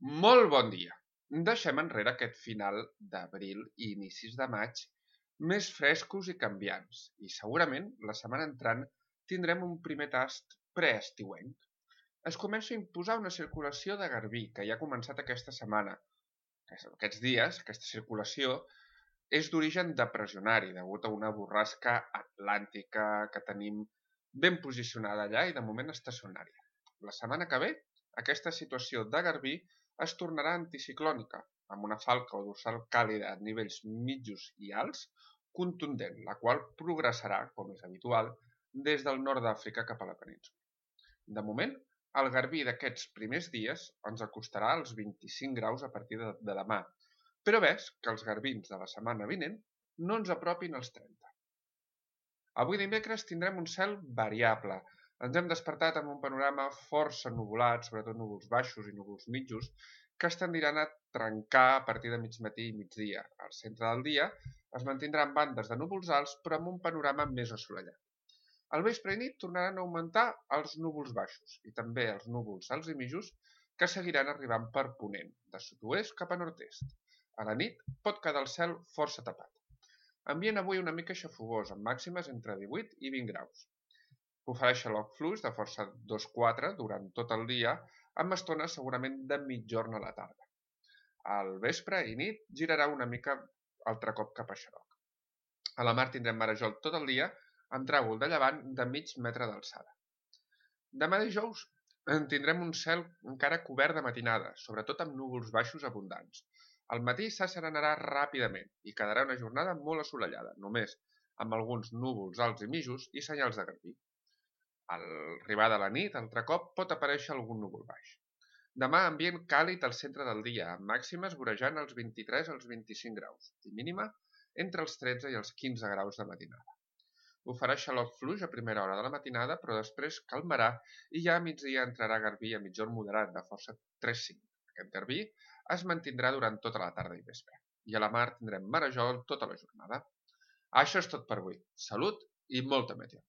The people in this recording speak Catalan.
Molt bon dia! Deixem enrere aquest final d'abril i inicis de maig més frescos i canviants i segurament la setmana entrant tindrem un primer tast preestiuenc. Es comença a imposar una circulació de garbí que ja ha començat aquesta setmana. Aquests dies, aquesta circulació és d'origen depressionari degut a una borrasca atlàntica que tenim ben posicionada allà i de moment estacionària. La setmana que ve, aquesta situació de garbí es tornarà anticiclònica, amb una falca o dorsal càlida a nivells mitjos i alts contundent, la qual progressarà, com és habitual, des del nord d'Àfrica cap a la península. De moment, el garbí d'aquests primers dies ens acostarà als 25 graus a partir de demà, però ves que els garbins de la setmana vinent no ens apropin als 30. Avui dimecres tindrem un cel variable. Ens hem despertat amb un panorama força nuvolat, sobretot núvols baixos i núvols mitjos, que es tendiran a trencar a partir de mig matí i migdia. Al centre del dia es mantindran bandes de núvols alts, però amb un panorama més assolellat. Al vespre i nit tornaran a augmentar els núvols baixos i també els núvols alts i mitjos que seguiran arribant per ponent, de sud-oest cap a nord-est. A la nit pot quedar el cel força tapat. Ambient avui una mica xafogós, amb màximes entre 18 i 20 graus. Ofereix xaloc fluix de força 2-4 durant tot el dia, amb estones segurament de mitjorn a la tarda. Al vespre i nit girarà una mica altre cop cap a xaloc. A la mar tindrem marejol tot el dia, amb tràgol de llevant de mig metre d'alçada. Demà dijous tindrem un cel encara cobert de matinada, sobretot amb núvols baixos abundants. Al matí s'asserenarà ràpidament i quedarà una jornada molt assolellada, només amb alguns núvols alts i mitjos i senyals de garbí. Al arribar de la nit, altre cop, pot aparèixer algun núvol baix. Demà ambient càlid al centre del dia, amb màximes vorejant els 23 als 25 graus i mínima entre els 13 i els 15 graus de matinada. Ofereix xaloc fluix a primera hora de la matinada, però després calmarà i ja a migdia entrarà garbí a mitjorn moderat de força 3-5. Aquest garbí es mantindrà durant tota la tarda i vespre. I a la mar tindrem marejol tota la jornada. Això és tot per avui. Salut i molta meteo.